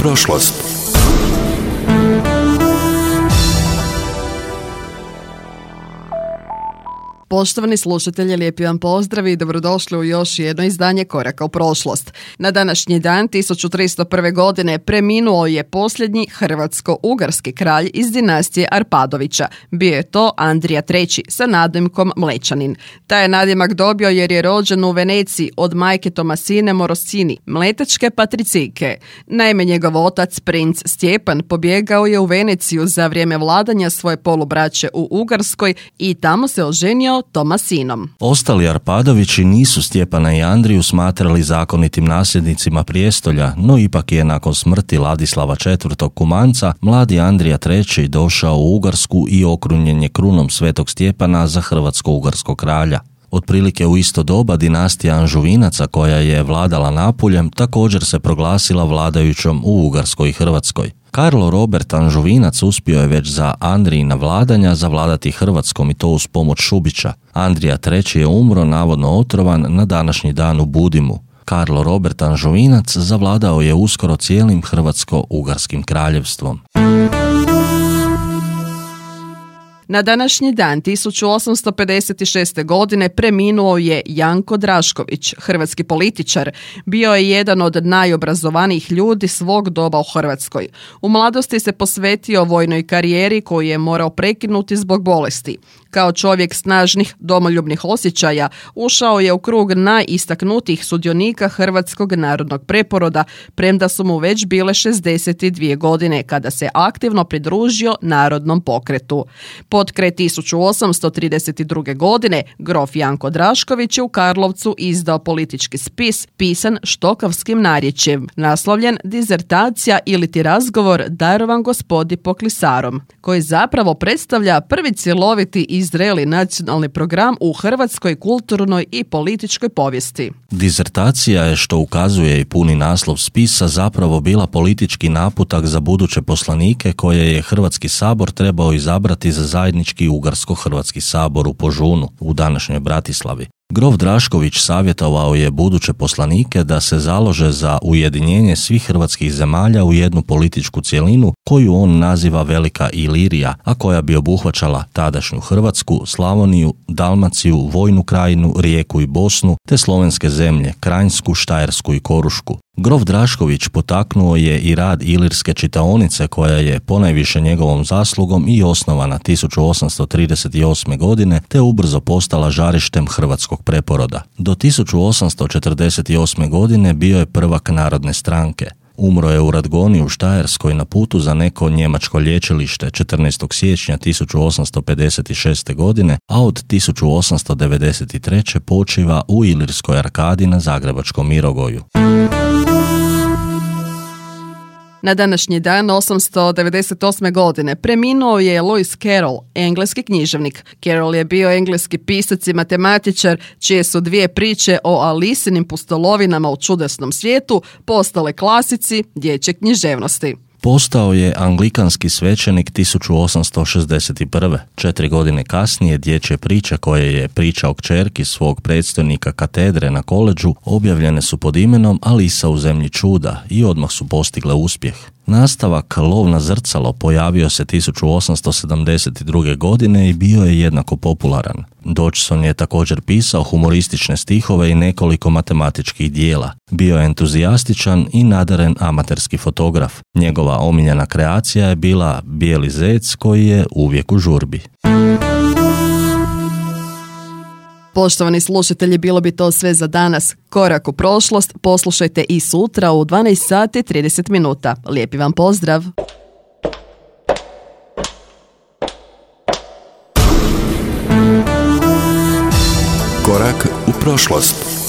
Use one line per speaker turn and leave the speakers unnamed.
prošlost.
Poštovani slušatelji, lijepi vam pozdrav i dobrodošli u još jedno izdanje Koraka u prošlost. Na današnji dan 1301. godine preminuo je posljednji hrvatsko-ugarski kralj iz dinastije Arpadovića. Bio je to Andrija III sa nadimkom Mlečanin. Taj je nadimak dobio jer je rođen u Veneciji od majke Tomasine Morosini, mletačke patricijke. Naime, njegov otac, princ Stjepan, pobjegao je u Veneciju za vrijeme vladanja svoje polubraće u Ugarskoj i tamo se oženio Tomasinom.
Ostali Arpadovići nisu Stjepana i Andriju smatrali zakonitim nasljednicima prijestolja, no ipak je nakon smrti Ladislava IV. Kumanca mladi Andrija III. Došao u Ugarsku i okrunjen je krunom svetog Stjepana za hrvatsko-ugarskog kralja. Otprilike u isto doba dinastija Anžuvinaca, koja je vladala Napuljem, također se proglasila vladajućom u Ugarskoj i Hrvatskoj. Karlo Robert Anžuvinac uspio je već za Andrijina vladanja zavladati Hrvatskom i to uz pomoć Šubića. Andrija III. Je umro navodno otrovan na današnji dan u Budimu. Karlo Robert Anžuvinac zavladao je uskoro cijelim hrvatsko-ugarskim kraljevstvom.
Na današnji dan 1856. godine preminuo je Janko Drašković, hrvatski političar. Bio je jedan od najobrazovanijih ljudi svog doba u Hrvatskoj. U mladosti se posvetio vojnoj karijeri koju je morao prekinuti zbog bolesti. Kao čovjek snažnih domoljubnih osjećaja ušao je u krug najistaknutijih sudionika Hrvatskog narodnog preporoda, premda su mu već bile 62 godine kada se aktivno pridružio narodnom pokretu. Potkraj 1832. godine grof Janko Drašković je u Karlovcu izdao politički spis pisan štokavskim narječjem, naslovljen Dizertacija iliti razgovor darovan gospodi Poklisarom, koji zapravo predstavlja prvi cjeloviti i zreli nacionalni program u hrvatskoj kulturnoj i političkoj povijesti.
Dizertacija je, što ukazuje i puni naslov spisa, zapravo bila politički naputak za buduće poslanike koje je Hrvatski sabor trebao izabrati za zajednički Ugarsko-Hrvatski sabor u Požunu, u današnjoj Bratislavi. Grof Drašković savjetovao je buduće poslanike da se založe za ujedinjenje svih hrvatskih zemalja u jednu političku cjelinu koju on naziva Velika Ilirija, a koja bi obuhvaćala tadašnju Hrvatsku, Slavoniju, Dalmaciju, Vojnu krajinu, Rijeku i Bosnu, te slovenske zemlje, Kranjsku, Štajersku i Korušku. Grof Drašković potaknuo je i rad Ilirske čitaonice koja je ponajviše njegovom zaslugom i osnovana 1838. godine te ubrzo postala žarištem hrvatskog preporoda. Do 1848. godine bio je prvak Narodne stranke. Umro je u Radgoni u Štajerskoj na putu za neko njemačko liječilište 14. siječnja 1856. godine, a od 1893. počiva u Ilirskoj arkadi na Zagrebačkom Mirogoju.
Na današnji dan 898. godine preminuo je Lewis Carroll, engleski književnik. Carroll je bio engleski pisac i matematičar, čije su dvije priče o Alisinim pustolovinama u čudesnom svijetu postale klasici dječje književnosti.
Postao je anglikanski svećenik 1861. 4 godine kasnije dječje priče koje je pričao kćerki svog predstojnika katedre na koledžu objavljene su pod imenom Alisa u zemlji čuda i odmah su postigle uspjeh. Nastavak Lov na zrcalo pojavio se 1872. godine i bio je jednako popularan. Dodgson je također pisao humoristične stihove i nekoliko matematičkih dijela. Bio je entuzijastičan i nadaren amaterski fotograf. Njegova omiljena kreacija je bila bijeli zec koji je uvijek u žurbi.
Poštovani slušatelji, bilo bi to sve za danas. Korak u prošlost poslušajte i sutra u 12 sati 30 minuta. Lijepi vam pozdrav!
Korak u prošlost.